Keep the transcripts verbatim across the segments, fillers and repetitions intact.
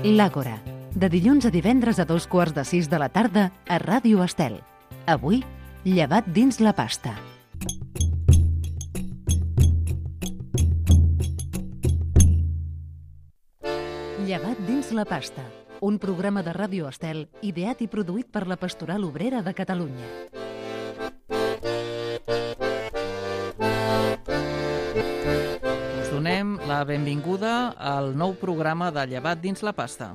L'Àgora, de dilluns a divendres a dos quarts de sis de la tarda a Ràdio Estel. Avui, llevat dins la pasta. Llevat dins la pasta, un programa de Ràdio Estel ideat i produït per la Pastoral Obrera de Catalunya. Donem la benvinguda al nou programa de Llevat dins la pasta.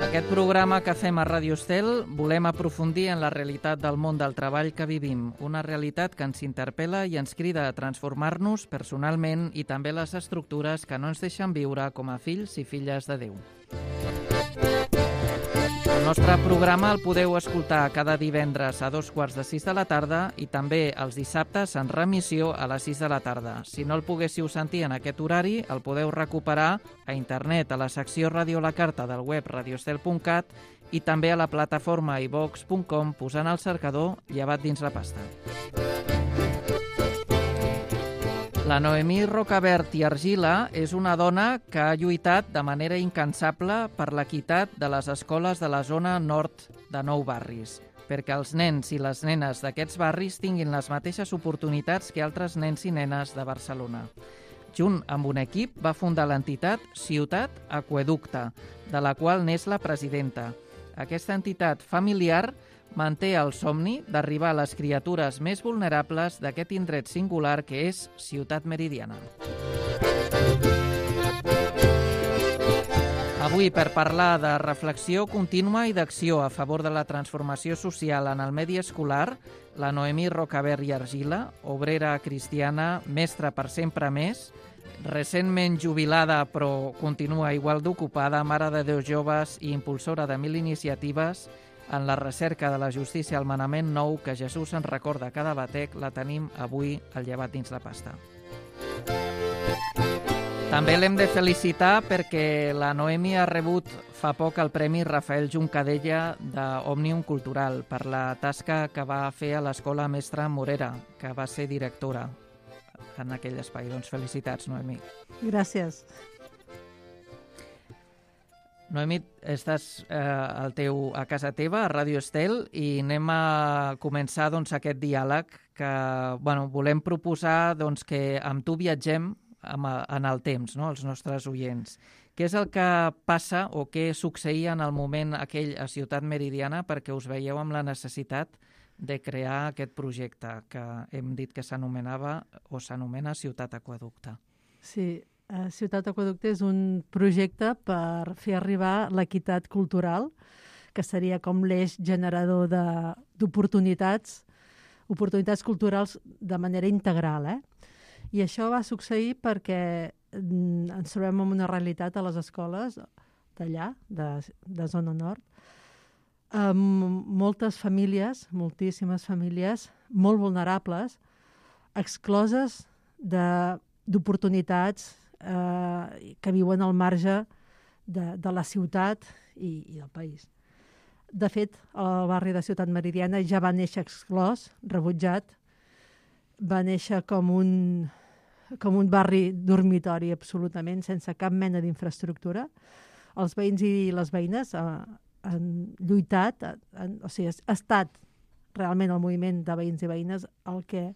Aquest programa que fem a Ràdio Estel volem aprofundir en la realitat del món del treball que vivim, una realitat que ens interpel·la i ens crida a transformar-nos personalment i també les estructures que no ens deixen viure com a fills i filles de Déu. El nostre programa el podeu escoltar cada divendres a dos quarts de sis de la tarda i també els dissabtes en remissió a les sis de la tarda. Si no el poguéssiu sentir en aquest horari, el podeu recuperar a internet a la secció Ràdio la Carta del web radioestel punt cat i també a la plataforma i vox punt com posant al cercador Llevat dins la pasta. La Noemí Rocabert i Argila és una dona que ha lluitat de manera incansable per l'equitat de les escoles de la zona nord de Nou Barris, perquè els nens i les nenes d'aquests barris tinguin les mateixes oportunitats que altres nens i nenes de Barcelona. Junt amb un equip va fundar l'entitat Ciutat Aqüeducte, de la qual n'és la presidenta. Aquesta entitat familiar manté el somni d'arribar a les criatures més vulnerables d'aquest indret singular que és Ciutat Meridiana. Avui, per parlar de reflexió contínua i d'acció a favor de la transformació social en el medi escolar, la Noemí Rocabert i Argila, obrera cristiana, mestra per sempre més, recentment jubilada però continua igual d'ocupada, mare de deu joves i impulsora de mil iniciatives, en la recerca de la justícia al manament nou que Jesús ens recorda a cada batec, la tenim avui al Llevat dins la pasta. També l'hem de felicitar perquè la Noemi ha rebut fa poc el Premi Rafael Juncadella d'Òmnium Cultural per la tasca que va fer a l'Escola Mestra Morera, que va ser directora en aquell espai. Doncs felicitats, Noemi. Gràcies. Noemi, estàs eh, al teu, a casa teva, a Ràdio Estel, i anem a començar doncs, aquest diàleg que bueno, volem proposar doncs, que amb tu viatgem amb, en el temps, no?, els nostres oients. Què és el que passa o què succeïa en el moment aquell a Ciutat Meridiana perquè us veieu amb la necessitat de crear aquest projecte que hem dit que s'anomenava o s'anomena Ciutat Aqüeducte? Sí. Uh, Ciutat Aqüeducte és un projecte per fer arribar l'equitat cultural, que seria com l'eix generador d'oportunitats, oportunitats culturals de manera integral. Eh? I això va succeir perquè mm, ens trobem en una realitat a les escoles d'allà, de, de zona nord, amb moltes famílies, moltíssimes famílies, molt vulnerables, excloses d'oportunitats Eh, que viuen al marge de, de la ciutat i, i del país. De fet, el barri de Ciutat Meridiana ja va néixer exclòs, rebutjat, va néixer com un, com un barri dormitori absolutament, sense cap mena d'infraestructura. Els veïns i les veïnes eh, han lluitat, han, o sigui, ha estat realment el moviment de veïns i veïnes el que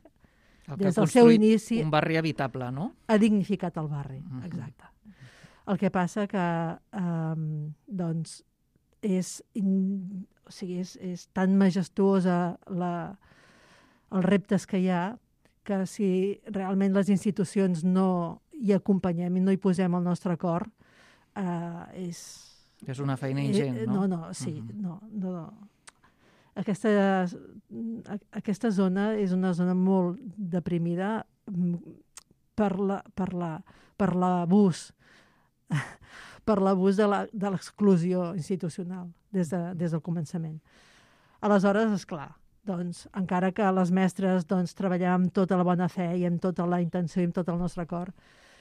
El que des ha del seu inici un barri habitable, no? Ha dignificat el barri, uh-huh. exacte. El que passa que um, doncs és, in, o sigui, és, és tan majestuosa la, els reptes que hi ha que si realment les institucions no hi acompanyem i no hi posem el nostre cor, uh, és... És una feina ingent, eh, no? No, no, sí, uh-huh. no, no, no. Aquesta, aquesta zona és una zona molt deprimida per la, per la, per l'abús per l'abús de la, de l'exclusió institucional des, de, des del començament. Aleshores, esclar, doncs, encara que les mestres doncs, treballem amb tota la bona fe i amb tota la intenció i amb tot el nostre cor,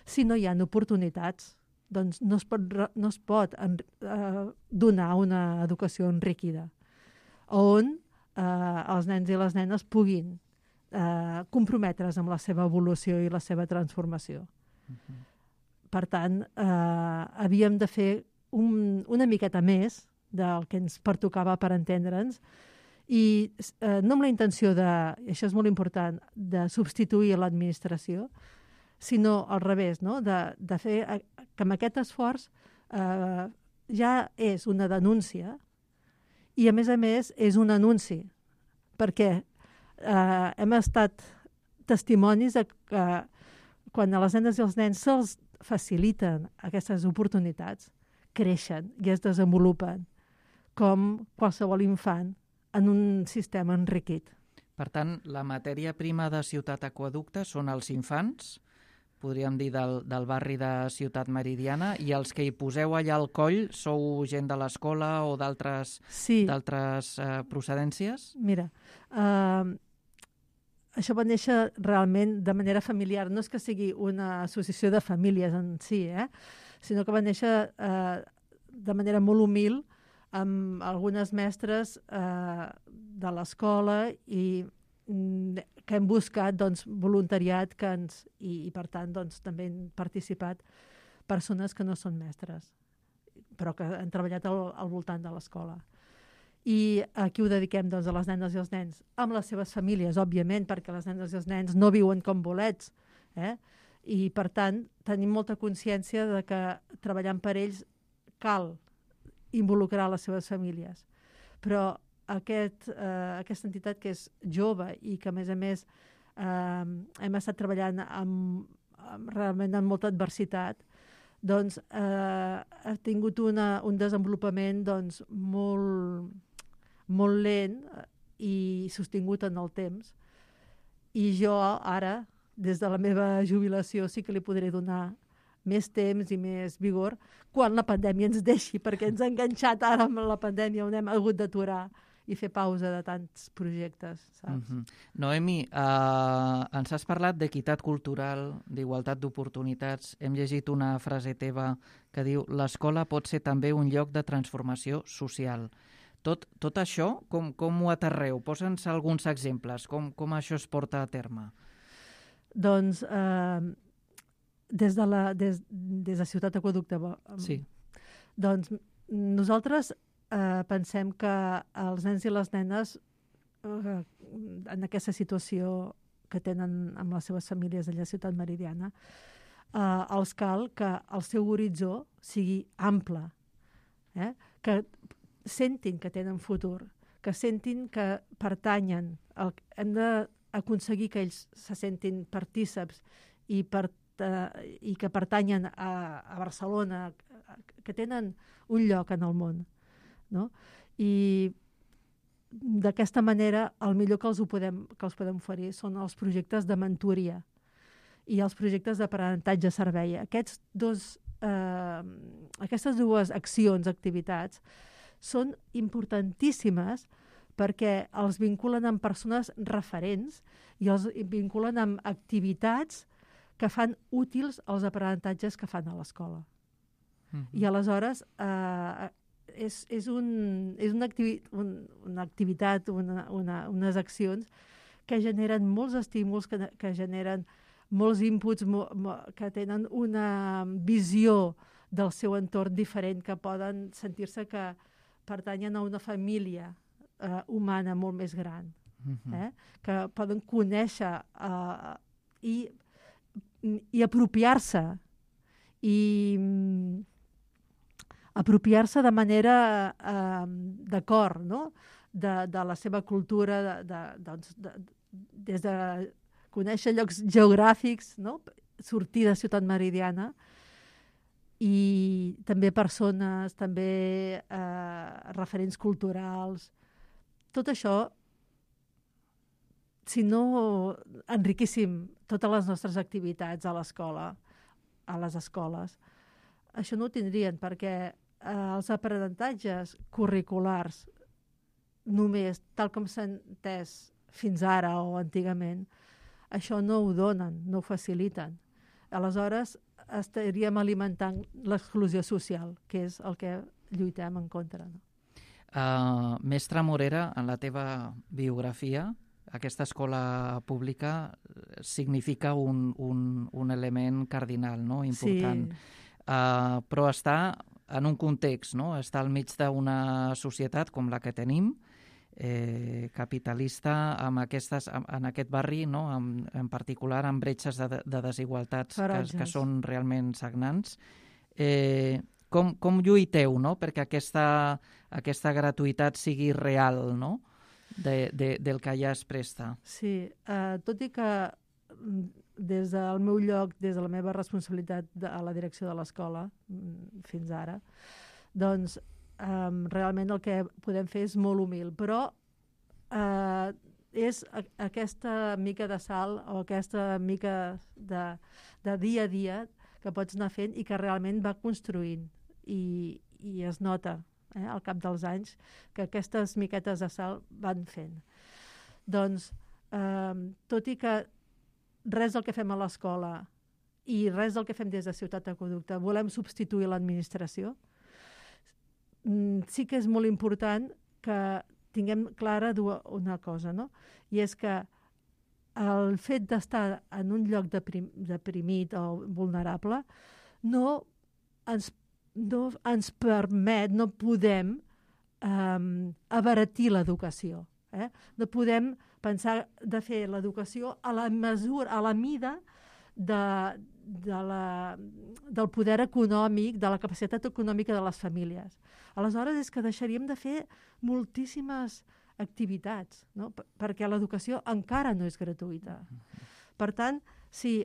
si no hi ha oportunitats, doncs no es pot, no es pot en, eh, donar una educació enriquida on eh, els nens i les nenes puguin eh, comprometre's amb la seva evolució i la seva transformació. Uh-huh. per tant, eh, havíem de fer un, una miqueta més del que ens pertocava per entendre'ns, i eh, no amb la intenció de, i això és molt important, de substituir l'administració, sinó al revés, no? de, de fer que amb aquest esforç eh, ja és una denúncia i, a més a més, és un anunci, perquè eh, hem estat testimonis de que quan a les nenes i els nens se'ls faciliten aquestes oportunitats, creixen i es desenvolupen com qualsevol infant en un sistema enriquit. Per tant, la matèria prima de Ciutat Aqüeducte són els infants, podríem dir del, del barri de Ciutat Meridiana, i els que hi poseu allà al coll sou gent de l'escola o d'altres sí. d'altres eh, procedències? Mira, eh, això va néixer realment de manera familiar. No és que sigui una associació de famílies en si, eh? sinó que va néixer eh, de manera molt humil amb algunes mestres eh, de l'escola i mm, que hem buscat doncs, voluntariat que ens, i, i per tant doncs, també han participat persones que no són mestres, però que han treballat al, al voltant de l'escola. I aquí ho dediquem doncs, a les nenes i els nens, amb les seves famílies, òbviament, perquè les nenes i els nens no viuen com bolets, eh? I per tant tenim molta consciència de que treballant per ells cal involucrar les seves famílies. Però aquest, eh, aquesta entitat que és jove i que a més a més eh, hem estat treballant amb, amb, realment amb molta adversitat, doncs eh, ha tingut una, un desenvolupament doncs, molt, molt lent i sostingut en el temps. I jo ara, des de la meva jubilació, sí que li podré donar més temps i més vigor quan la pandèmia ens deixi, perquè ens ha enganxat ara amb la pandèmia on hem hagut d'aturar i fer pausa de tants projectes, saps? Mm-hmm. Noemi, eh, ens has parlat d'equitat cultural, d'igualtat d'oportunitats. Hem llegit una frase teva que diu l'escola pot ser també un lloc de transformació social. Tot, tot això, com, com ho aterreu? Posa'ns alguns exemples, com, com això es porta a terme. Doncs eh, des, de la, des, des de Ciutat Aqüeducte, sí. doncs nosaltres eh, pensem que els nens i les nenes eh, en aquesta situació que tenen amb les seves famílies allà a Ciutat Meridiana, eh, els cal que el seu horitzó sigui ample, eh? que sentin que tenen futur, que sentin que pertanyen. El, hem d'aconseguir que ells se sentin partíceps i, per, eh, i que pertanyen a, a Barcelona, que tenen un lloc en el món. No? I d'aquesta manera el millor que els, ho podem, que els podem oferir són els projectes de mentoria i els projectes d'aprenentatge servei. Aquests dos, eh, aquestes dues accions, activitats, són importantíssimes perquè els vinculen amb persones referents i els vinculen amb activitats que fan útils els aprenentatges que fan a l'escola. Mm-hmm. I aleshores eh, és, és, un, és una, activi, un, una activitat, una, una, unes accions que generen molts estímuls, que, que generen molts inputs, mo, mo, que tenen una visió del seu entorn diferent, que poden sentir-se que pertanyen a una família eh, humana molt més gran, uh-huh. eh? que poden conèixer eh, i, i apropiar-se i mm, apropiar-se de manera eh, d'acord, no? de, de la seva cultura, de, de, doncs, de, des de conèixer llocs geogràfics, no? Sortir de Ciutat Meridiana, i també persones, també eh, referents culturals. Tot això, si no enriquíssim totes les nostres activitats a l'escola, a les escoles, això no ho tindrien, perquè eh, els aprenentatges curriculars només, tal com s'ha entès fins ara o antigament, això no ho donen, no ho faciliten. Aleshores, estaríem alimentant l'exclusió social, que és el que lluitem en contra. No? Uh, Mestra Morera, en la teva biografia, aquesta escola pública significa un, un, un element cardinal, no? Important. Sí. Uh, però està en un context, no? Està al mig d'una societat com la que tenim, eh, capitalista, amb aquestes, en aquest barri, no? en, en particular amb bretxes de, de desigualtats que, que són realment sagnants. Eh, com, com lluiteu, no? Perquè aquesta, aquesta gratuïtat sigui real, no? De, de, del que ja es presta. Sí, uh, tot i que des del meu lloc, des de la meva responsabilitat de, a la direcció de l'escola fins ara, doncs um, realment el que podem fer és molt humil, però uh, és a, aquesta mica de sal o aquesta mica de, de dia a dia que pots anar fent i que realment va construint i, i es nota eh, al cap dels anys que aquestes miquetes de sal van fent. Doncs, um, tot i que res del que fem a l'escola i res del que fem des de Ciutat Aqüeducte volem substituir l'administració, sí que és molt important que tinguem clara una cosa, no? I és que el fet d'estar en un lloc deprim, deprimit o vulnerable no ens, no ens permet, no podem um, abaratir l'educació. Eh? No podem pensar de fer l'educació a la mesura, a la mida de, de la, del poder econòmic, de la capacitat econòmica de les famílies. Aleshores és que deixaríem de fer moltíssimes activitats, no? Perquè l'educació encara no és gratuïta. Per tant, si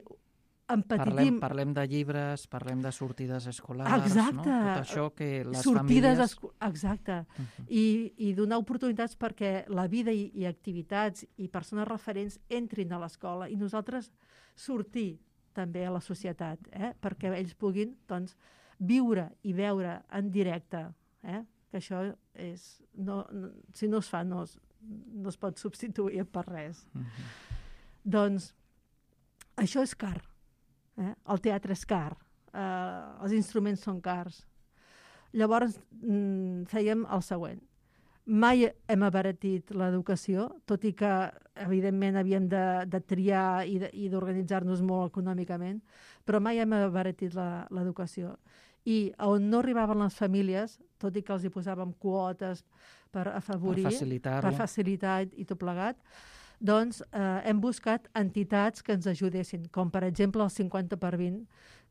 empetitim... Parlem, parlem de llibres, parlem de sortides escolars, exacte. No? Tot això que les sortides famílies... Esco... Exacte. Uh-huh. I, I donar oportunitats perquè la vida i, i activitats i persones referents entrin a l'escola i nosaltres sortir també a la societat, eh? Perquè ells puguin doncs, viure i veure en directe, eh? Que això és... No, no, si no es fa, no es, no es pot substituir per res. Uh-huh. Doncs això és car. Eh? El teatre és car. Eh, els instruments són cars. Llavors mm, fèiem el següent. Mai hem abaratit l'educació, tot i que evidentment havíem de, de triar i, de, i d'organitzar-nos molt econòmicament, però mai hem abaratit la, l'educació. I on no arribaven les famílies, tot i que els hi posàvem quotes per afavorir, per facilitar, per facilitar i tot plegat, doncs eh, hem buscat entitats que ens ajudessin, com per exemple el cinquanta per vint,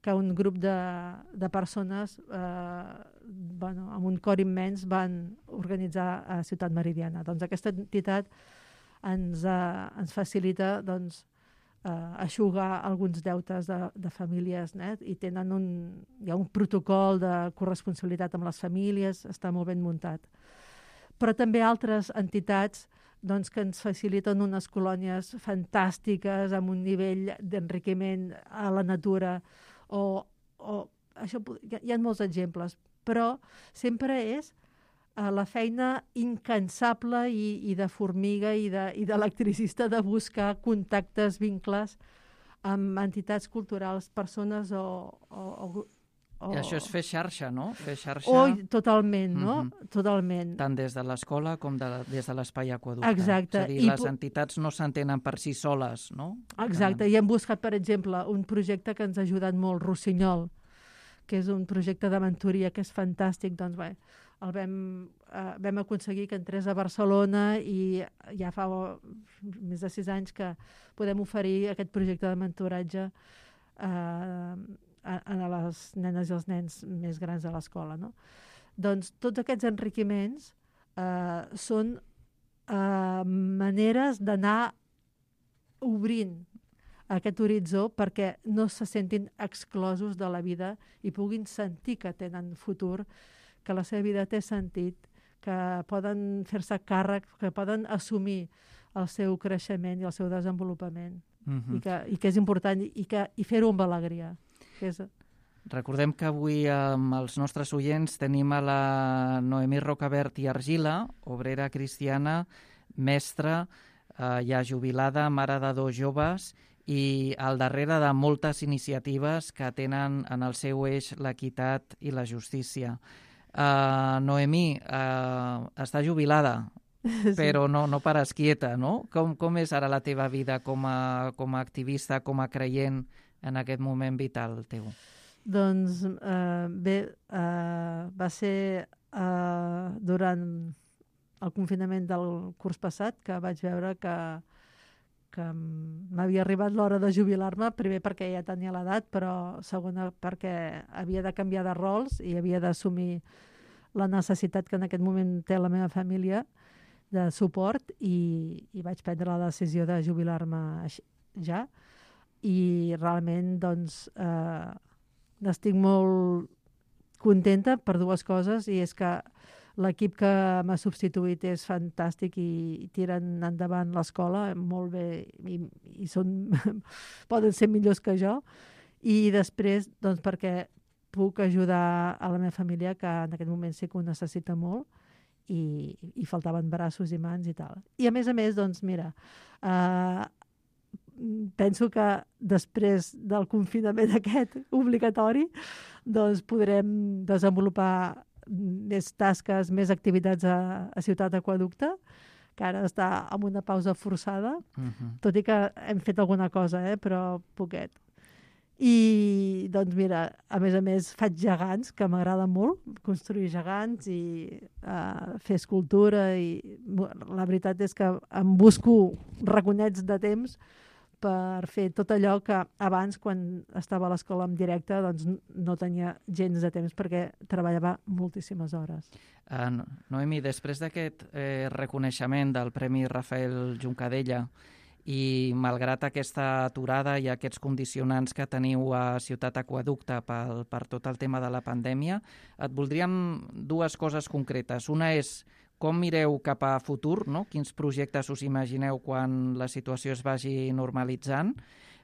que un grup de, de persones eh, bueno, amb un cor immens van organitzar a Ciutat Meridiana. Doncs aquesta entitat ens, eh, ens facilita doncs, Uh, eixugar alguns deutes de, de famílies, eh? I tenen un, hi ha un protocol de corresponsabilitat amb les famílies, està molt ben muntat. Però també altres entitats doncs, que ens faciliten unes colònies fantàstiques amb un nivell d'enriquiment a la natura o, o això, hi ha molts exemples, però sempre és la feina incansable i, i de formiga i de, i d'electricista de buscar contactes, vincles amb entitats culturals, persones o... o, o, o... I això és fer xarxa, no? Fer xarxa... Oh, totalment, no? Mm-hmm. Totalment. Tant des de l'escola com de, des de l'espai Aqüeducte. Exacte. És a dir, I les entitats no s'entenen per si soles, no? Exacte. I hem buscat, per exemple, un projecte que ens ha ajudat molt, Rossinyol, que és un projecte de mentoria que és fantàstic, doncs bé, el vam, eh, vam aconseguir que entrés a Barcelona i ja fa més de sis anys que podem oferir aquest projecte de mentoratge eh, a, a les nenes i els nens més grans de l'escola. No? Doncs tots aquests enriquiments eh, són eh, maneres d'anar obrint aquest horitzó perquè no se sentin exclosos de la vida i puguin sentir que tenen futur, que la seva vida té sentit, que poden fer-se càrrec, que poden assumir el seu creixement i el seu desenvolupament. Uh-huh. I, que, i que és important i, que, i fer-ho amb alegria. Que és... Recordem que avui amb els nostres oients tenim a la Noemí Rocabert i Argila, obrera cristiana, mestra, eh, ja jubilada, mare de dos joves i al darrere de moltes iniciatives que tenen en el seu eix l'equitat i la justícia. Uh, Noemí, uh, està jubilada, però no, no pares quieta, no? Com, com és ara la teva vida com a, com a activista, com a creient en aquest moment vital teu? Doncs eh, bé, eh, va ser eh, durant el confinament del curs passat que vaig veure que, que m'havia arribat l'hora de jubilar-me, primer perquè ja tenia l'edat, però segona perquè havia de canviar de rols i havia d'assumir la necessitat que en aquest moment té la meva família de suport i, i vaig prendre la decisió de jubilar-me ja. I realment doncs eh, n'estic molt contenta per dues coses, i és que l'equip que m'ha substituït és fantàstic i, i tiren endavant l'escola molt bé i, i són, poden ser millors que jo. I després doncs perquè puc ajudar a la meva família, que en aquest moment sí que ho necessita molt, i, i faltaven braços i mans i tal. I a més a més, doncs mira, eh, penso que després del confinament aquest obligatori doncs podrem desenvolupar més tasques, més activitats a, a Ciutat Aqueducte, que ara està en una pausa forçada, uh-huh. tot i que hem fet alguna cosa, eh, però poquet. I doncs mira, a més a més faig gegants, que m'agrada molt, construir gegants i uh, fer escultura, i la veritat és que em busco raconets de temps per fer tot allò que abans, quan estava a l'escola en directe, doncs no tenia gens de temps perquè treballava moltíssimes hores. Uh, Noemi, després d'aquest eh, reconeixement del Premi Rafael Juncadella i malgrat aquesta aturada i aquests condicionants que teniu a Ciutat Aqueducte per, per tot el tema de la pandèmia, et voldríem dues coses concretes. Una és com mireu cap a futur, no? Quins projectes us imagineu quan la situació es vagi normalitzant,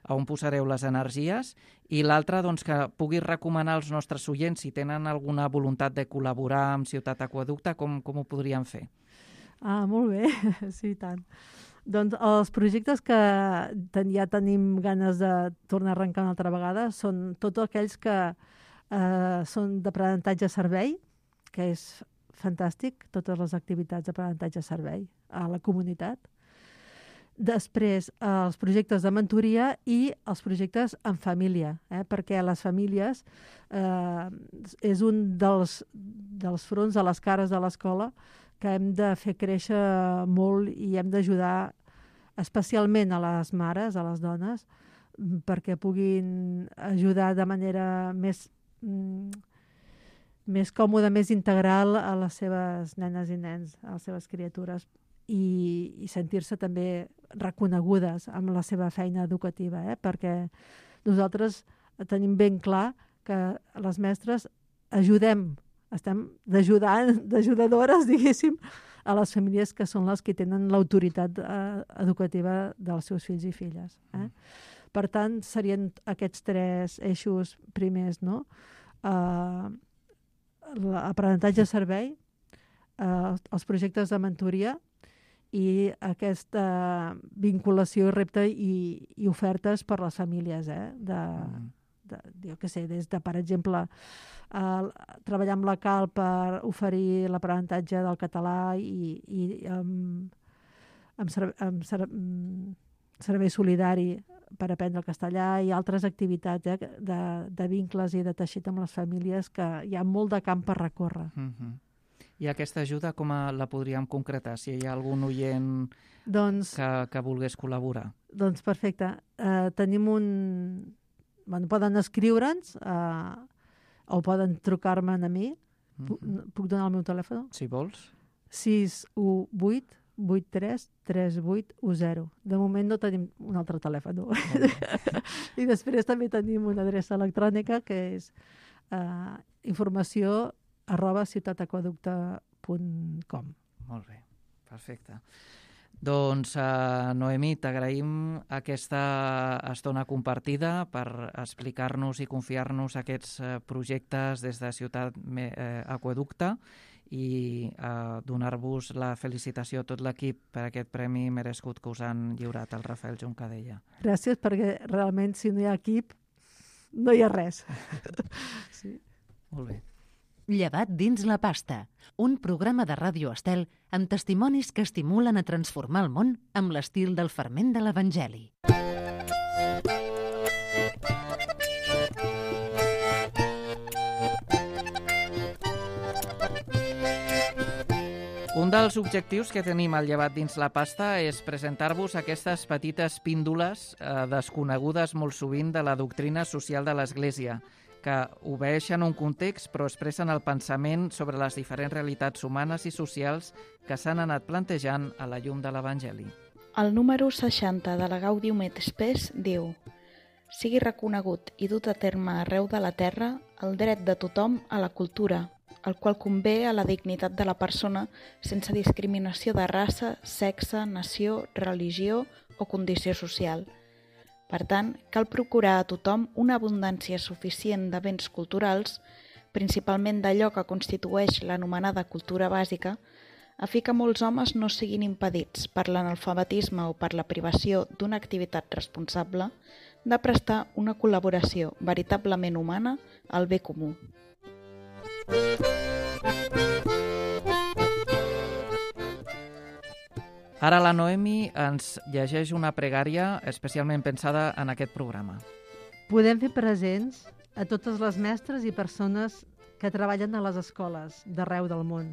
a on posareu les energies, i l'altra, doncs, que puguis recomanar als nostres oients, si tenen alguna voluntat de col·laborar amb Ciutat Aqueducte, com, com ho podrien fer? Ah, molt bé, sí, tant. Doncs els projectes que ten, ja tenim ganes de tornar a arrencar una altra vegada són tots aquells que eh, són d'aprenentatge-servei, que és fantàstic, totes les activitats d'aprenentatge-servei a la comunitat. Després, els projectes de mentoria i els projectes en família, eh? perquè les famílies eh, és un dels, dels fronts a les cares de l'escola que hem de fer créixer molt i hem d'ajudar especialment a les mares, a les dones, perquè puguin ajudar de manera més, mm, més còmoda, més integral a les seves nenes i nens, a les seves criatures, i, i sentir-se també reconegudes amb la seva feina educativa, eh? perquè nosaltres tenim ben clar que les mestres ajudem, estem d'ajudadores, diguéssim, a les famílies que són les que tenen l'autoritat eh, educativa dels seus fills i filles. Eh? Per tant, serien aquests tres eixos primers, no? Uh, l'aprenentatge-servei, uh, els projectes de mentoria i aquesta vinculació, repte i, i ofertes per les famílies, eh? de, de, jo què sé, des de, per exemple, Uh, treballar amb la Cal per oferir l'aprenentatge del català i, i um, amb, serve, amb serve, um, servei solidari per aprendre el castellà i altres activitats eh, de, de vincles i de teixit amb les famílies, que hi ha molt de camp per recórrer. Uh-huh. I aquesta ajuda com a la podríem concretar, si hi ha algun oient doncs, que, que volgués col·laborar? Doncs perfecte. Uh, tenim un... Bueno, poden escriure'ns a uh, o poden trucar-me a mi. Puc, puc donar el meu telèfon? Si vols. sis u vuit vuit tres tres vuit u zero. De moment no tenim un altre telèfon. I després també tenim una adreça electrònica que és uh, informació arroba ciutataqueducte punt com. Molt bé, perfecte. Doncs, uh, Noemi, t'agraïm aquesta estona compartida per explicar-nos i confiar-nos aquests uh, projectes des de Ciutat uh, Aqueducte i uh, donar-vos la felicitació a tot l'equip per aquest premi merescut que us han lliurat el Rafael Juncadella. Gràcies, perquè realment si no hi ha equip no hi ha res. Sí. Molt bé. Llevat dins la pasta, un programa de Ràdio Estel amb testimonis que estimulen a transformar el món amb l'estil del ferment de l'Evangeli. Un dels objectius que tenim al Llevat dins la pasta és presentar-vos aquestes petites píndoles eh, desconegudes molt sovint de la doctrina social de l'Església, que obeeixen un context però expressen el pensament sobre les diferents realitats humanes i socials que s'han anat plantejant a la llum de l'Evangeli. El número seixanta de la Gaudium et Spes diu: sigui reconegut i dut a terme arreu de la terra el dret de tothom a la cultura, el qual convé a la dignitat de la persona sense discriminació de raça, sexe, nació, religió o condició social. Per tant, cal procurar a tothom una abundància suficient de béns culturals, principalment d'allò que constitueix l'anomenada cultura bàsica, a fi que molts homes no siguin impedits per l'analfabetisme o per la privació d'una activitat responsable de prestar una col·laboració veritablement humana al bé comú. Ara la Noemi ens llegeix una pregària especialment pensada en aquest programa. Podem fer presents a totes les mestres i persones que treballen a les escoles d'arreu del món,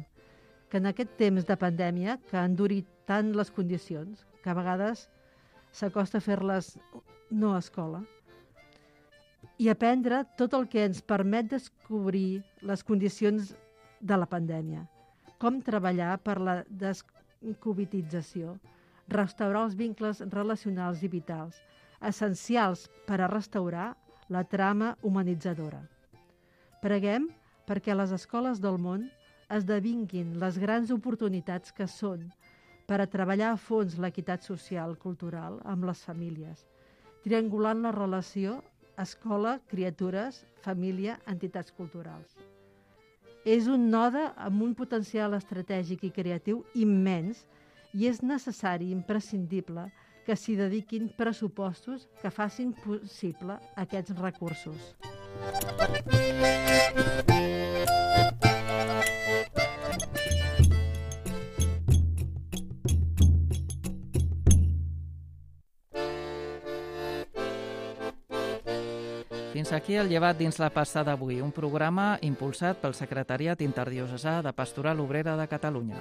que en aquest temps de pandèmia que han endurit tant les condicions, que a vegades s'acosta a fer-les no a escola, i aprendre tot el que ens permet descobrir les condicions de la pandèmia, com treballar per la descovidització, restaurar els vincles relacionals i vitals, essencials per a restaurar la trama humanitzadora. Preguem perquè les escoles del món esdevinguin les grans oportunitats que són per a treballar a fons l'equitat social cultural amb les famílies, triangulant la relació escola, criatures, família, entitats culturals. És un node amb un potencial estratègic i creatiu immens i és necessari i imprescindible que s'hi dediquin pressupostos que facin possible aquests recursos. Fins aquí el Llevat dins la pasta d'avui, un programa impulsat pel Secretariat Interdiocesà de Pastoral Obrera de Catalunya.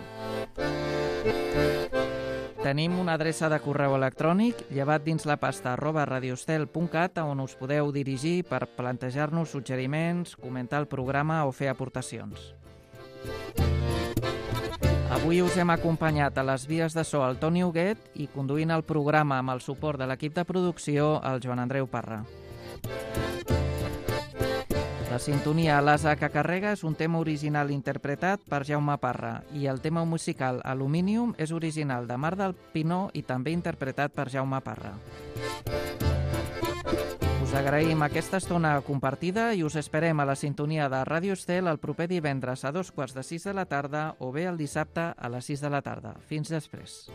Tenim una adreça de correu electrònic, llevatdinslapasta arroba radiostel punt cat, on us podeu dirigir per plantejar-nos suggeriments, comentar el programa o fer aportacions. Avui us hem acompanyat a les vies de so el Toni Huguet i conduint el programa amb el suport de l'equip de producció el Joan Andreu Parra. La sintonia L'Asa que carrega és un tema original interpretat per Jaume Parra i el tema musical Aluminium és original de Mar del Pinó i també interpretat per Jaume Parra. Us agraïm aquesta estona compartida i us esperem a la sintonia de Ràdio Estel el proper divendres a dos quarts de sis de la tarda o bé el dissabte a les sis de la tarda. Fins després.